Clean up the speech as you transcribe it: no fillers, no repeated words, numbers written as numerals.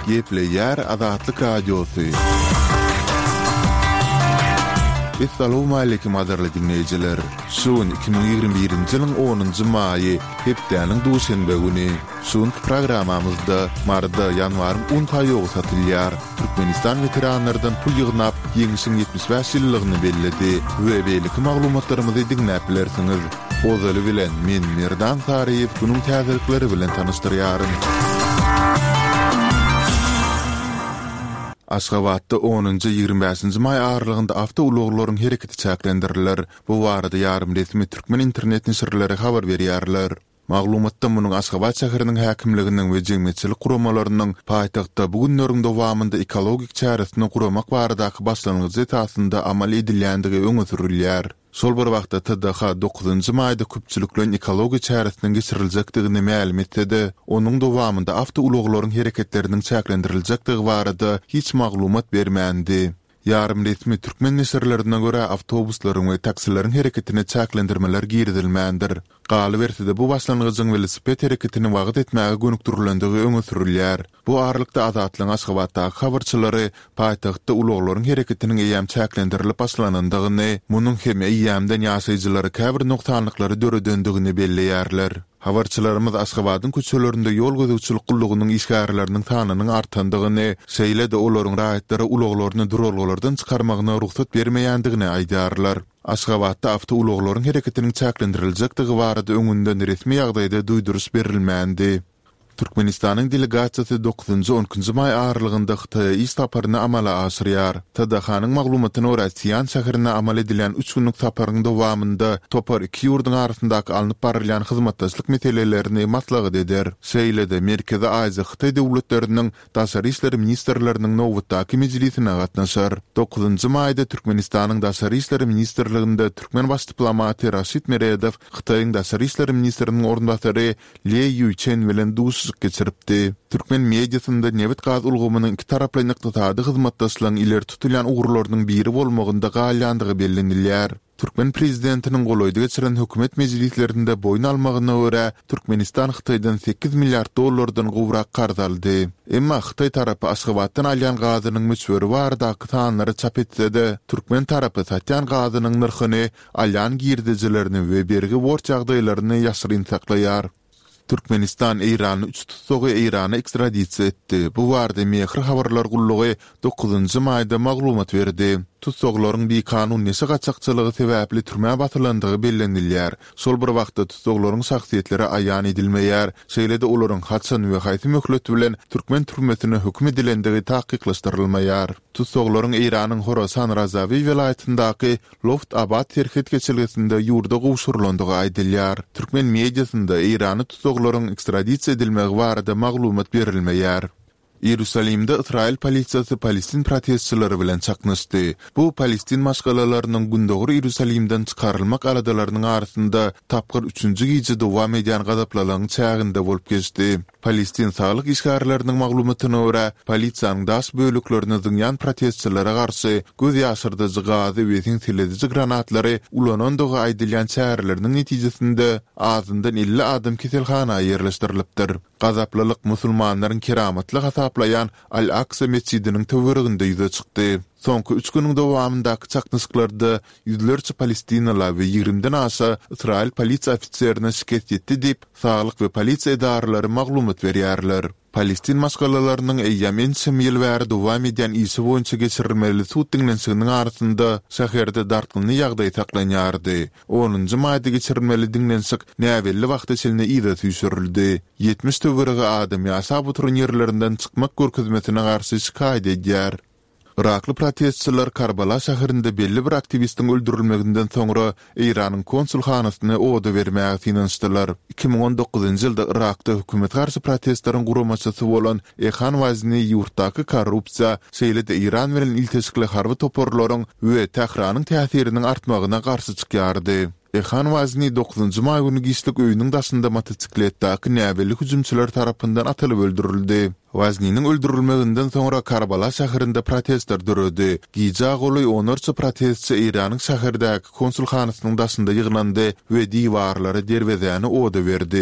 Gepleýär Azatlyk Radiosy. Essalawmaleýkim gadyrly diňleýjiler! Şu gün 2021-nji ýylyň onunjy maýy, hepdäniň duşenbe güni. Şu günki programmamyzda Maryda ýanwaryň un paýogy satylýar, Türkmenistan weteranlardan pul ýygnap, Ýeňşiň 75 ýyllygyny belledi we beýleki maglumatlarymyzy diňläp bilersiňiz. Ozaly bilen, men Merdan Saryýew günüň täzelikleri bilen tanyşdyrýaryn. Aşgabatda onunjy, 25-nji maý aralygynda awtoulaglaryň hereketi çäklendiriler. Bu barada ýarym resmi türkmen internet neşirleri habar berýärler. Maglumatda munuň Aşgabat şäheriniň häkimliginiň we jemgyýetçilik guramalarynyň paýtagtda bu günleriň dowamynda ekologik çäresini guramak baradaky başlangyjy esasynda amal edilýändigi öňe sürülýär. Şol bir wagtda TDH dokuzynjy maýda köpçülikleýin ekologiýa çäresiniň geçiriljekdigini mälim etse-de, onuň dowamynda awtoulaglaryň hereketleriniň çäklendiriljekdigi barada hiç maglumat bermändi. Ýarym resmi türkmen neşirlerine görä, awtobuslaryň we taksileriň hereketine çäklendirmeler girizilmändir. Galyberse-de, bu başlangyjyň welosiped hereketini wagyz etmäge gönükdirilendigi öňe sürülýär. Bu aralykda, Azatlygyň Aşgabatdaky habarçylary paýtagtda ulaglaryň hereketiniň eýýäm çäklendirilip başlanandygyny, munuň hem eýýämden ýaşaýjylara käbir nogsanlyklary döredendigini belleýärler. Habarçylarymyz Aşgabadyň köçelerinde ýol gözegçilik gullugynyň işgärleriniň sanynyň artandygyny, şeýle-de olaryň raýatlara ulaglaryny duralgalardan çykarmagyna rugsat bermeýändigini aýdýarlar. Aşgabatda awtoulaglaryň hereketiniň çäklendiriljekdigi barada öňünden resmi ýagdaýda duýduryş berilmändi. Türkmenistanyň delegasiýasy dokuzynjy-on ikinji maý aralygynda Hytaýa iş saparyny amala aşyrýar. TDH-nyň maglumatyna görä, Sian şäherine amal edilýän üç günlük saparyň dowamynda topar iki ýurduň arasyndaky alnyp barylýan hyzmatdaşlyk meselelerini maslahat eder. Şeýle-de, Merkezi Aziýa-Hytaý döwletleriniň daşary işler ministrleriniň nobatdaky mejlisine gatnaşar. Dokuzynjy maýda Türkmenistanyň Daşary işler ministrliginde türkmen baş diplomaty Raşid Meredow Hytaýyň daşary işler ministriniň orunbasary Le Ýuýçen bilen duşuşyk geçiripdi. Türkmen mediasynda nebit-gaz ulgamynyň ikitaraplaýyn ykdysady hyzmatdaşlygyň ileri tutulýan ugurlarynyň biri bolmagynda galýandygy bellenilýär. Türkmen prezidentiniň golaýda geçiren hökümet mejlislerinde boýun almagyna görä, Türkmenistan Hytaýdan sekiz milliard dollardan gowrak karz aldy. Emma hytaý tarapy Aşgabatdan alýan gazynyň möçberi baradaky sanlary çap etse-de, türkmen tarapy satýan gazynyň nyrhyny alýan girdejilerini we bergi-borç ýagdaýlaryny ýaşyryn saklaýar. Türkmenistan eýranly üç tussagy Eýrana ekstradisiýa etdi. Bu barada Mehr habarlar gullugy dokuzynjy maýda maglumat berdi. Tussaglaryň bikanun neşe gaçakçylygy sebäpli türmä basylandygy bellenilýär. Şol bir wagtda tussaglaryň şahsyýetleri aýan edilmeýär, şeýle-de olaryň haçan we haýsy möhlet bilen türkmen türmesine höküm edilendigi takyklaşdyrylmaýar. Tussaglaryň Eýranyň Horasan Razawi welaýatyndaky Loft Abad serhet geçelgesinde ýurda gowşurylandygy aýdylýar. Türkmen mediasynda eýranly tussaglaryň ekstradisiýa edilmegi barada maglumat berilmeýär. Iýerusalimde ysraýyl polisiýasy palestin protestçileri bilen çaknyşdy. Bu palestin maşgalalarynyň Gündogar Iýerusalimden çykarylmak aladalarynyň arasynda tapgyr üçünji gije dowam edýän gazaplylygyň çäginde bolup geçdi. Palestin saglyk işgärleriniň maglumatyna görä, polisiýanyň daş böleklerini zyňýan protestçilere garşy göz ýaşardyjy gazy we seňselediji granatlary ulanandygy aýdylýan çäreleriniň netijesinde azyndan 50 adam keselhana ýerleşdirilipdir. Gazaplylyk musulmanlaryň keramatly hasaplaýan Al-Aksa metjidiniň töwereginde ýüze çykdy. Soňky üç günüň dowamyndaky çaknyşyklarda ýüzlerçe palestinala we ýigrimden aşa ysraýyl polisiýa ofiserine şikes ýetdi diýip, saglyk we polisiýa edaralary maglumat berýärler. Palestin maşgalalarynyň eýýäm ençeme ýyl bäri dowam edýän işi boýunça geçirilmeli sud diňlenişiginiň arasynda şäherde dartgynly ýagdaý saklanýardy. Onunjy maýda geçirilmeli diňlenişik näbelli wagta çenli yza süýşürildi. 70 töweregi adam ýaşap oturan ýerlerinden çykmak görkezmesine garşy şikaýat edýär. Yrakly protestçiler Karbala şäherinde belli bir aktiwistiň öldürilmeginden soňra Eýranyň konsulhanasyny oda bermäge synanyşdylar. 2019-njy ýylda Yrakda hökümete garşy protestleriň guramaçysy bolan Ehan Wazni ýurtdaky korrupsiýa, şeýle-de Eýran bilen ilteşikli harby toparlaryň we Tähranyň täsiriniň artmagyna garşy çykýardy. Ehan Wazni dokuzynjy maý güni giçlik öýüniň daşynda motosikletdäki näbelli hüjümçiler tarapyndan atylyp öldürildi. Wazniniň öldürilmeginden soňra Karbala şäherinde protestler döredi. Gijä golaý onlarça protestçi Eýranyň şäherdäki konsulhanasynyň daşynda ýygnandy we diwarlary, derwezäni oda berdi.